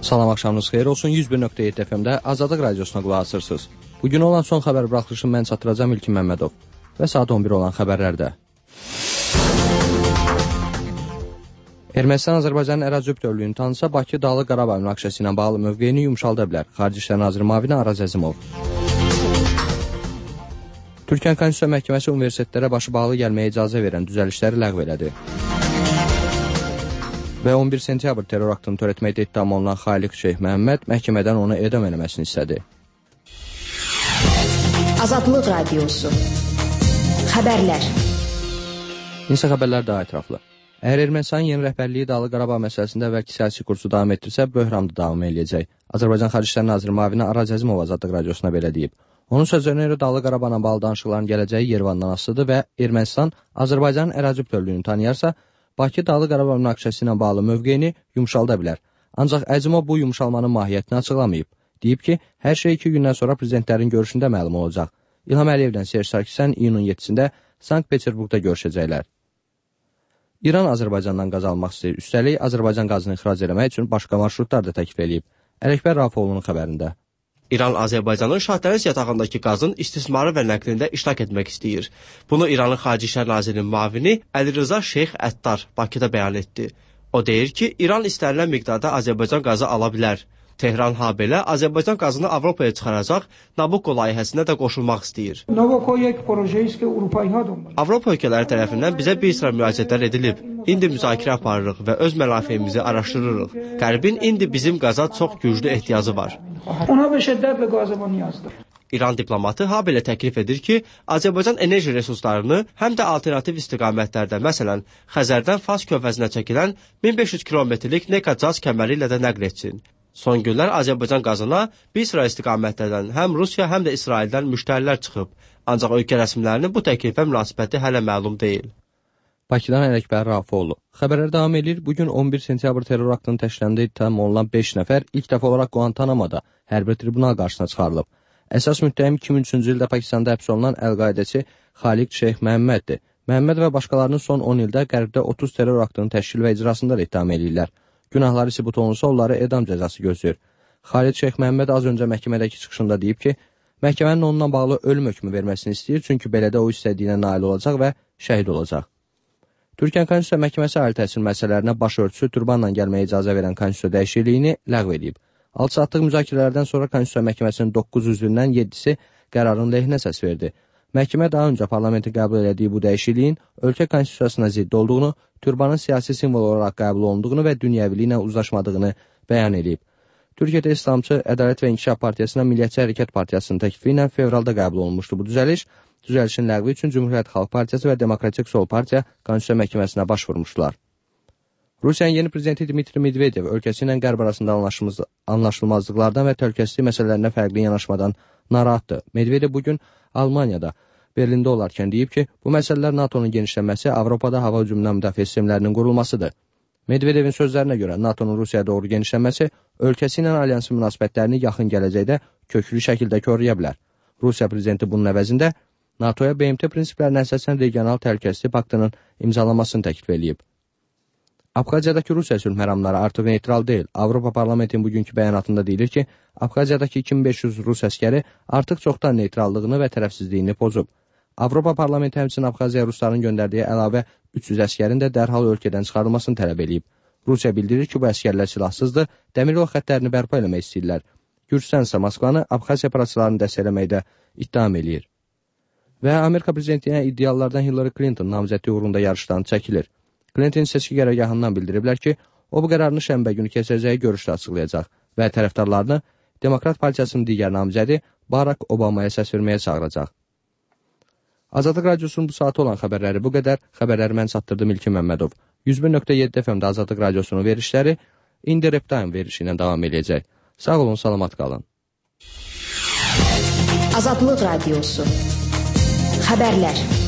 Salam, axşamınız xeyir olsun. 101.7 FM-də Azadlıq Radiosuna qulaq asırsınız. Bugün olan son xəbər buraxılışını mən çatdıracağım İlkin Məmmədov və saat 11 olan xəbərlərdə. Ermənistan Azərbaycanın ərazi bütövlüyünü tanısa, Bakı Dağlıq Qarabağ münaqişəsi ilə bağlı mövqeyini yumşalda bilər. Xarici İşlər Naziri müavini Araz Əzimov. Türkiyə Konstitusiya Məhkəməsi universitetlərə başı bağlı gəlməyə icazə verən düzəlişləri ləğv elədi. Və 11 sentyabr terror aktını törətməkdə ittiham olunan Xaliq Şeyx Məhəmməd məhkəmədən onu edam eləməsini istədi. Azadlıq Radiosu. Xəbərlər. İnsə xəbərlər daha ətraflı. Əgər Ermənistanın yeni rəhbərliyi Dağlıq Qarabağ məsələsində əvvəlki siyasi kursu davam etdirsə, böhran da davam eləyəcək. Azərbaycan Xarici İşlər Naziri müavini Araz Əzimov Azadlıq Radiosuna belə deyib. Onun sözlərinə görə Dağlıq Qarabağla bağlı danışıqların gələcəyi Yerevandan asılıdır və Ermənistan Azərbaycanın ərazi bütövlüyünü tanıyarsa, Bakı Dağlıq Qarabağ münaqişəsi ilə bağlı mövqeyini yumşalda bilər. Ancaq Əzimov bu yumşalmanın mahiyyətini açıqlamayıb. Deyib ki, hər şey 2 gündən sonra prezidentlərin görüşündə məlum olacaq. İlham Əliyevlə Serj Sarkisyan iyunun 7-sində Sankt-Peterburqda görüşəcəklər. İran Azərbaycandan qaz almaq istəyir. Üstəlik, Azərbaycan qazını ixrac eləmək üçün başqa marşrutlar da təklif edib. Ələkbər Rafoğlu'nun xəbərində. İran Azərbaycanın Şahdəniz yatağındakı qazın istismarı və nəqlində iştirak etmək istəyir. Bunu İranın Xarici İşlər Nazirinin müavini Əlirza Şeyx Əttar Bakıda bəyan etdi. O deyir ki, İran istənilən miqdarda Azərbaycan qazı ala bilər. Tehran habelə Azərbaycan qazını Avropaya çıxaracaq Nabucco layihəsinə də qoşulmaq istəyir. Avropa ölkələri tərəfindən bizə bir sıra müraciətlər edilib. İndi müzakirə aparırıq və öz mənafeyimizi araşdırırıq. Qərbin indi bizim qaza çox güclü ehtiyacı var. İran diplomatı habelə təklif edir ki, Azərbaycan enerji resurslarını həm də alternativ istiqamətlərdə, məsələn, Xəzərdən Fars körfəzinə çəkilən 1500 kilometrlik Neka-Caz kəməri ilə də nəql etsin. Son günlər Azərbaycan qazına bir sıra istiqamətlərdən həm Rusiya, həm də İsraildən müştərilər çıxıb. Ancaq ölkə rəsmilərinin bu təklifə münasibəti hələ məlum deyil. Bakıdan Ələkbər Rafoğlu. Xəbərlər davam edir. Bugün 11 sentyabr terror aktının təşkilində ittiham olunan 5 nəfər ilk dəfə olaraq Guantanamo'da hərbi tribunal qarşısına çıxarılıb. Əsas müttəhim 2003-cü ildə Pakistanda həbs olunan Əl-Qaidəçi Xaliq Şeyx Məhəmməddir. Məhəmməd və başqalarının son 10 ildə Qərbdə 30 terror aktının təşkil və icrasında da ittiham edirlər. Günahları sübut olunsa onları edam cəzası gözləyir. Xaliq Şeyx Məhəmməd az öncə məhkəmədəki çıxışında deyib ki, məhkəmənin onunla bağlı ölüm hökmü verməsini istəyir, çünki belədə o istədiyinə nail olacaq və şəhid olacaq. Türkiyə Konstitusiya Məhkəməsi ali təhsil müəssisələrinə başörtüsü turbanla gəlməyə icazə verən konstitusiya dəyişikliyini ləğv edib. 6 saatlıq müzakirələrdən sonra Konstitusiya Məhkəməsinin 9 üzvündən 7-si qərarın lehinə səs verdi. Məhkəmə daha öncə parlamentin qəbul elədiyi bu dəyişikliyin ölkə konstitusiyasına zidd olduğunu, turbanın siyasi simvol olaraq qəbul olunduğunu və dünyəviliklə uzlaşmadığını bəyan edib. Türkiyədə İslamçı Ədalət və İnkişaf Partiyasına Milliyyətçi Hərəkət Partiyasının təklifi ilə fevralda qəbul olunmuşdu bu düzəliş. Düzəlişin ləğvi üçün Cümhuriyyət Xalq Partiyası və Demokratik Sol Partiya Konstitusiya Məhkəməsinə başvurmuşdular. Rusiyanın yeni prezidenti Dmitri Medvedev ölkəsi ilə Qərb arasında anlaşılmazlıqlardan və təhlükəsizlik məsələlərinə fərqli yanaşmadan narahatdır. Medvedev bugün Almaniyada, Berlində olarkən deyib ki, bu məsələlər NATO'nun genişlənməsi, Avropada hava hücumundan müdafiə sistemlərinin qurulmasıdır. Medvedevin sözlərinə görə NATO'nun Rusiyaya doğru genişlənməsi ölkəsi ilə alyansın münasibətlərini yaxın gələcəkdə köklü şəkildə korlaya bilər. Rusiya prezidenti bunun əvəzində NATO'ya BMT prinsiplərinə əsasən regional təhlükəsizlik paktının imzalanmasını təklif edib. Abxaziyadakı Rusiya sülh məramları artıq neytral deyil. Avropa Parlamentinin bugünkü bəyanatında deyilir ki, Abxaziyadakı 2500 Rus əskəri artıq çoxdan neytrallığını və tərəfsizliyini pozub. Avropa Parlamenti həmçinin Abxaziya Rusların göndərdiyi əlavə 300 əskərin də dərhal ölkədən çıxarılmasını tələb edib. Rusiya bildirir ki, bu əskərlər silahsızdır, dəmir yol xəttlərini bərpa eləmək istəyirlər. Gürcüstan isə Moskvanı Abxaziya separatçılarını dəstəkləməkdə ittiham eləyir. Və Amerika prezidentinə iddialardan Hillary Clinton namizədliyi uğrunda yarışdan çəkilir. Clinton seçki qərargahından bildiriblər ki, o bu qərarını şənbə günü keçəcəyi görüşdə açıqlayacaq və tərəfdarlarını Demokrat Partiyasının digər namizədi Barack Obamaya səs verməyə çağıracaq. Azadlıq Radiosunun bu saatı olan xəbərləri bu qədər. Xəbərləri mən çatdırdım İlkin Məmmədov. 101.7 FM-də Azadlıq Radiosunun verişləri indi Reptime verişi ilə davam edəcək. Sağ olun, salamat qalın. Azadlıq Radiosu. Xəbərlər.